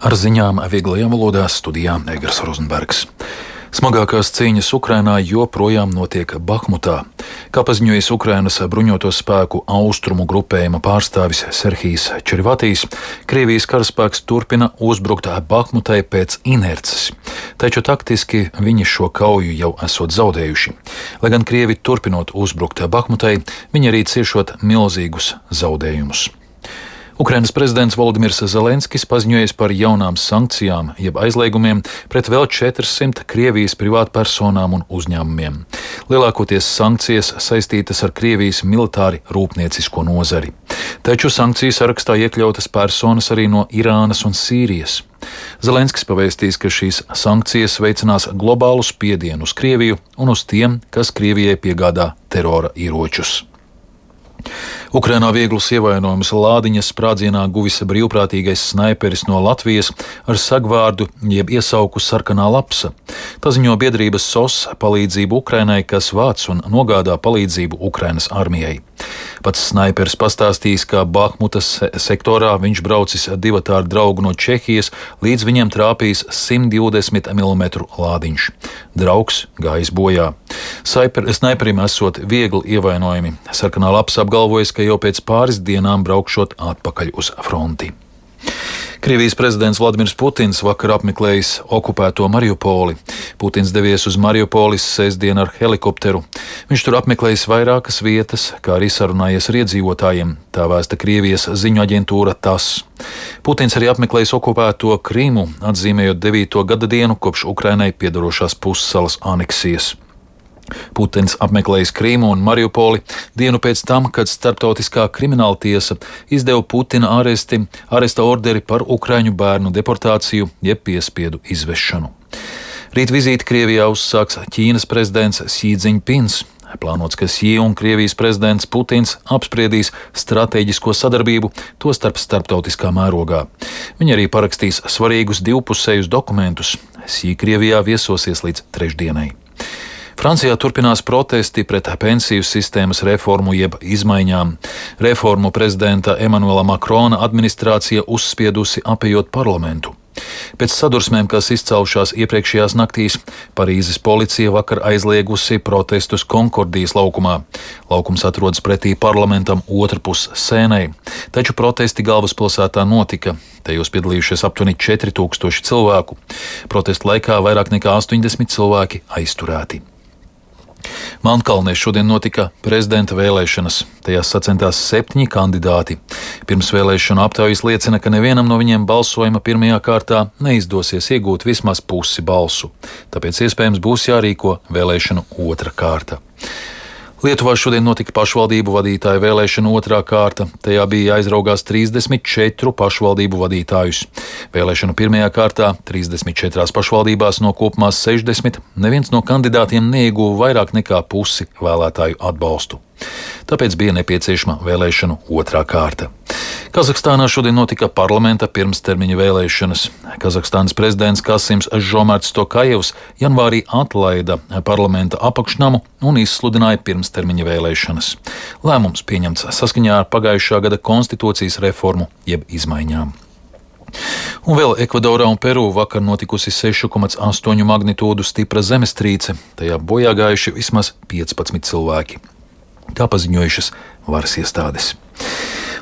Ar ziņām vieglajā valodā studijā Egars Rozenbergs. Smagākās cīņas Ukrainā joprojām notiek Bahmutā. Kā paziņojis Ukrainas bruņoto spēku austrumu grupējuma pārstāvis Serhijs Čerivatijs, Krievijas karaspēks turpina uzbrukt Bahmutai pēc inerces. Taču taktiski viņi šo kauju jau esot zaudējuši. Lai gan Krievi turpinot uzbrukt Bahmutai, viņi arī ciešot milzīgus zaudējumus. Ukrainas prezidents Volodimirs Zelenskis paziņojis par jaunām sankcijām, jeb aizliegumiem pret vēl 400 Krievijas privātpersonām un uzņēmumiem. Lielākoties sankcijas saistītas ar Krievijas militāri rūpniecisko nozari. Taču sankciju sarakstā iekļautas personas arī no Irānas un Sīrijas. Zelenskis pavēstīs, ka šīs sankcijas veicinās globālu spiedienu uz Krieviju un uz tiem, kas Krievijai piegādā terora ieročus. Ukrainā vieglus ievainojumus lādiņas sprādzienā guvis brīvprātīgais snaiperis no Latvijas ar sagvārdu jeb iesauku Sarkanā lapsa. Paziņo biedrības SOS palīdzību Ukrainai, kas vāc un nogādā palīdzību Ukrainas armijai. Pats snaiperis pastāstīs, ka Bahmutas sektorā viņš braucis divatā ar draugu no Čehijas, līdz viņiem trāpījis 120 mm lādiņš. Draugs gājis bojā. Snaiperim esot viegli ievainojumi. Sarkanā lapsa apgalvojas, ka jau pēc pāris dienām braukšot atpakaļ uz fronti. Krievijas prezidents Vladimirs Putins vakar apmeklējis okupēto Mariupoli. Putins devies uz Mariupoli sestdien ar helikopteru. Viņš tur apmeklējis vairākas vietas, kā arī sarunājies ar iedzīvotājiem, tā vēsta Krievijas ziņu aģentūra TASS. Putins arī apmeklējis okupēto Krimu, atzīmējot 9. gada dienu kopš Ukrainai piedarošās pussalas aneksijas. Putins apmeklējis Krīmu un Mariupoli dienu pēc tam, kad Starptautiskā krimināla tiesa izdeva Putina aresta orderi par ukraiņu bērnu deportāciju jeb piespiedu izvešanu. Rīt vizīti Krievijā uzsāks Ķīnas prezidents Xi Jinpings. Plānots, ka Xi un Krievijas prezidents Putins apspriedīs stratēģisko sadarbību, tostarp starptautiskā mērogā. Viņi arī parakstīs svarīgus divpusējus dokumentus. Xi Krievijā viesosies līdz trešdienai. Francijā turpinās protesti pret pensiju sistēmas reformu jeb izmaiņām. Reformu prezidenta Emanuela Makrona administrācija uzspiedusi apejot parlamentu. Pēc sadursmēm, kas izcēlušās iepriekšējās naktīs, Parīzes policija vakar aizliegusi protestus Konkordijas laukumā. Laukums atrodas pretī parlamentam otrpus Sēnai, taču protesti galvaspilsētā notika. Tajos piedalījušies aptuveni 4000 cilvēku. Protestu laikā vairāk nekā 80 cilvēki aizturēti. Melnkalnē šodien notika prezidenta vēlēšanas. Tajās sacentās 7 kandidāti. Pirms vēlēšanu aptaujas liecina, ka nevienam no viņiem balsojuma pirmajā kārtā neizdosies iegūt vismaz pusi balsu. Tāpēc iespējams būs jārīko vēlēšanu otra kārta. Lietuvā šodien notika pašvaldību vadītāju vēlēšana otrā kārta. Tajā bija jāizraugās 34 pašvaldību vadītājus. Vēlēšanu pirmajā kārtā 34 pašvaldībās no kopumā 60 neviens no kandidātiem neieguva vairāk nekā pusi vēlētāju atbalstu. Tāpēc bija nepieciešama vēlēšanu otrā kārta. Kazahstānā šodien notika parlamenta pirmstermiņa vēlēšanas. Kazahstānas prezidents Kasims Žomārts Tokajevs janvārī atlaida parlamenta apakšnamu un izsludināja pirmstermiņa vēlēšanas. Lēmums pieņemts saskaņā ar pagājušā gada konstitūcijas reformu jeb izmaiņām. Un vēl Ekvadorā un Peru vakar notikusi 6,8 magnitūdu stipra zemestrīce. Tajā bojā gājuši vismaz 15 cilvēki. Tā paziņojušas varas iestādes.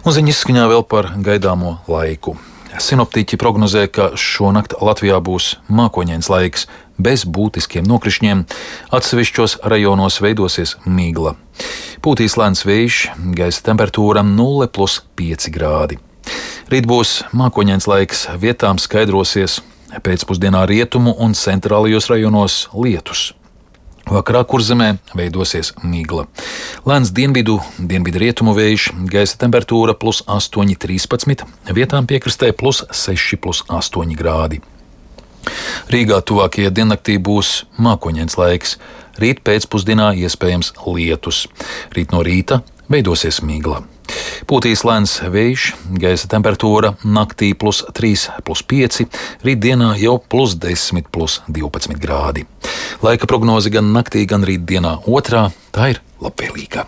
Un ziņas izskaņā vēl par gaidāmo laiku. Sinoptiķi prognozē, ka šonakt Latvijā būs mākoņains laiks, bez būtiskiem nokrišņiem. Atsevišķos rajonos veidosies migla. Pūtīs lēns vējš, gaisa temperatūra 0+5 grādi. Rīt būs mākoņains laiks, vietām skaidrosies, pēcpusdienā rietumu un centrālajos rajonos lietus. Vakarā Kurzemē veidosies migla. Lēns dienvidu rietumu vējš, gaisa temperatūra +8, 13, vietām piekrastē +6, +8 grādi. Rīgā tuvākajā diennaktī būs mākoņains laiks. Rīt pēcpusdienā iespējams lietus. Rīt no rīta veidosies migla. Pūtīs lēns vējš, gaisa temperatūra naktī +3, +5, rītdienā jau +10, +12 grādi. Laika prognoze gan naktī, gan rītdienā otrā, tā ir labvēlīga.